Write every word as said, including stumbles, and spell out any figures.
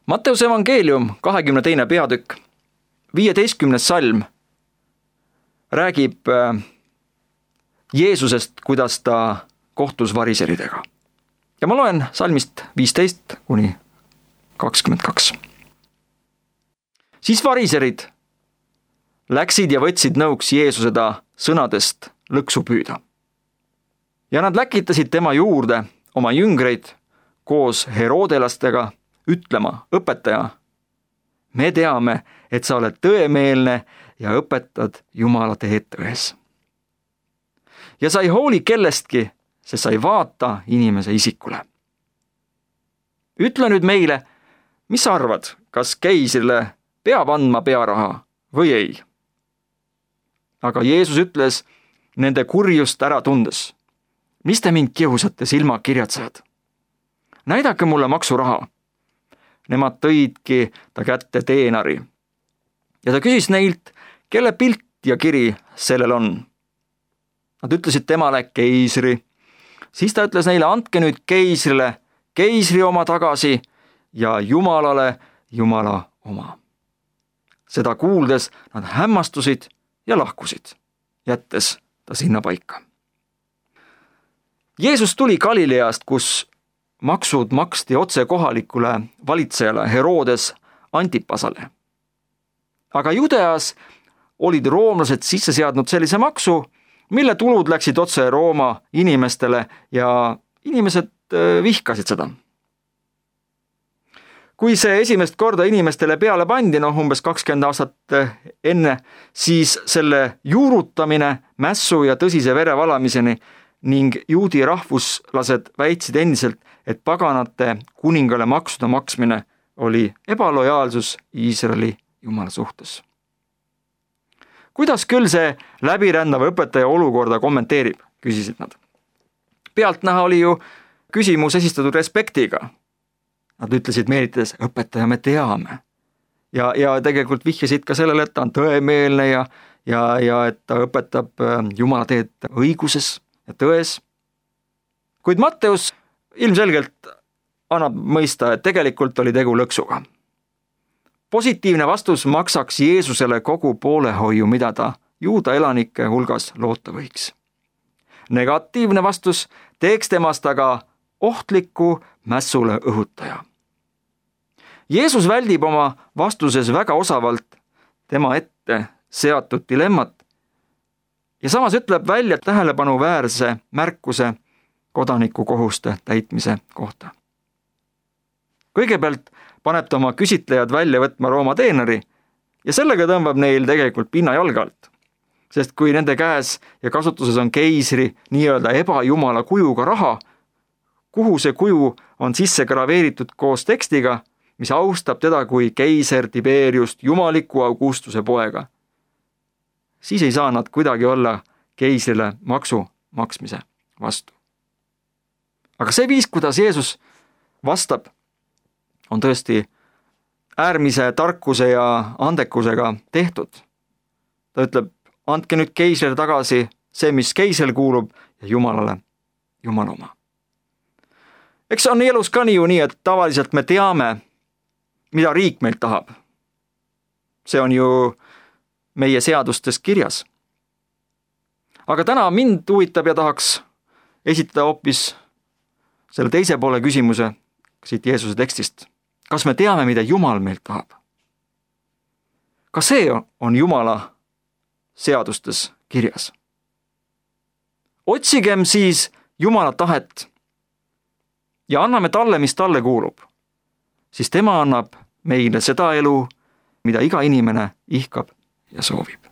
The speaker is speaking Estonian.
Matteuse evangeelium, kahekümne teine peatükk, viieteistkümnes salm räägib Jeesusest, kuidas ta kohtus variseridega. Ja ma loen salmist viisteist kuni kakskümmend kaks. Siis variserid läksid ja võtsid nõuks Jeesuse ta sõnadest lõksu püüda. Ja nad läkitasid tema juurde oma jüngreid koos herodelastega ütlema, õpetaja, me teame, et sa oled tõemeelne ja õpetad Jumala teed tões. Ja sa ei hooli kellestki, sest sa ei vaata inimese isikule. Ütle nüüd meile, mis sa arvad, kas keisrile peab andma pearaha või ei? Aga Jeesus ütles nende kurjust ära tundes, mis te mind kiusate silmakirjatsejad? Näidake mulle maksuraha. Nemad tõidki ta kätte teenari. Ja ta küsis neilt, kelle pilt ja kiri sellel on. Nad ütlesid temale keisri. Siis ta ütles neile, andke nüüd keisrile keisri oma tagasi ja Jumalale Jumala oma. Seda kuuldes nad hämmastusid ja lahkusid, jättes ta sinna paika. Jeesus tuli Galileast, kus maksud maksti otse kohalikule valitsejale Herodes Antipasale. Aga Judeas olid roomlased sisse seadnud sellise maksu, mille tulud läksid otse Rooma inimestele ja inimesed vihkasid seda. Kui see esimest korda inimestele peale pandi, noh umbes kakskümmend aastat enne, siis selle juurutamine mässu ja tõsise verevalamiseni ning juudi rahvuslased väitsid endiselt, et paganate kuningale maksude maksmine oli ebalojaalsus Iisraeli Jumala suhtes. Kuidas küll see läbirändav õpetaja olukorda kommenteerib, küsisid nad. Pealtnäha oli ju küsimus esitatud respektiga. Nad ütlesid meelitades, õpetaja me teame. Ja, ja tegelikult vihjasid ka sellele, et ta on tõemeelne ja, ja, ja et ta õpetab Jumala teed õiguses ja tões. Kuid Matteus ilmselgelt annab mõista, et tegelikult oli tegu lõksuga. Positiivne vastus maksaks Jeesusele kogu poolehoiu, mida ta juuda elanike hulgas loota võiks. Negatiivne vastus teeks temast aga ohtliku mässule õhutaja. Jeesus väldib oma vastuses väga osavalt tema ette seatud dilemmat ja samas ütleb välja tähelepanuväärse märkuse kodaniku kohuste täitmise kohta. Kõigepealt paneb ta oma küsitlejad välja võtma Rooma teeneri ja sellega tõmbab neil tegelikult pinna jalga alt. Sest kui nende käes ja kasutuses on keisri nii-öelda ebajumala kujuga raha, kuhu see kuju on sisse graveeritud koos tekstiga, mis austab teda kui keiser Tiberiust jumaliku Augustuse poega, siis ei saa nad kuidagi olla keisrile maksu maksmise vastu. Aga see viis, kuidas Jeesus vastab, on tõesti äärmise tarkuse ja andekusega tehtud. Ta ütleb, andke nüüd keisrile tagasi see, mis keisrile kuulub ja Jumalale Jumala oma. Eks on elus ka nii ju nii, et tavaliselt me teame, mida riik meilt tahab. See on ju meie seadustes kirjas. Aga täna mind huvitab ja tahaks esitada hoopis selle teise poole küsimuse siit Jeesuse tekstist. Kas me teame, mida Jumal meilt tahab? Ka see on Jumala seadustes kirjas. Otsigem siis Jumala tahet ja anname talle, mis talle kuulub, siis tema annab meile seda elu, mida iga inimene ihkab ja soovib.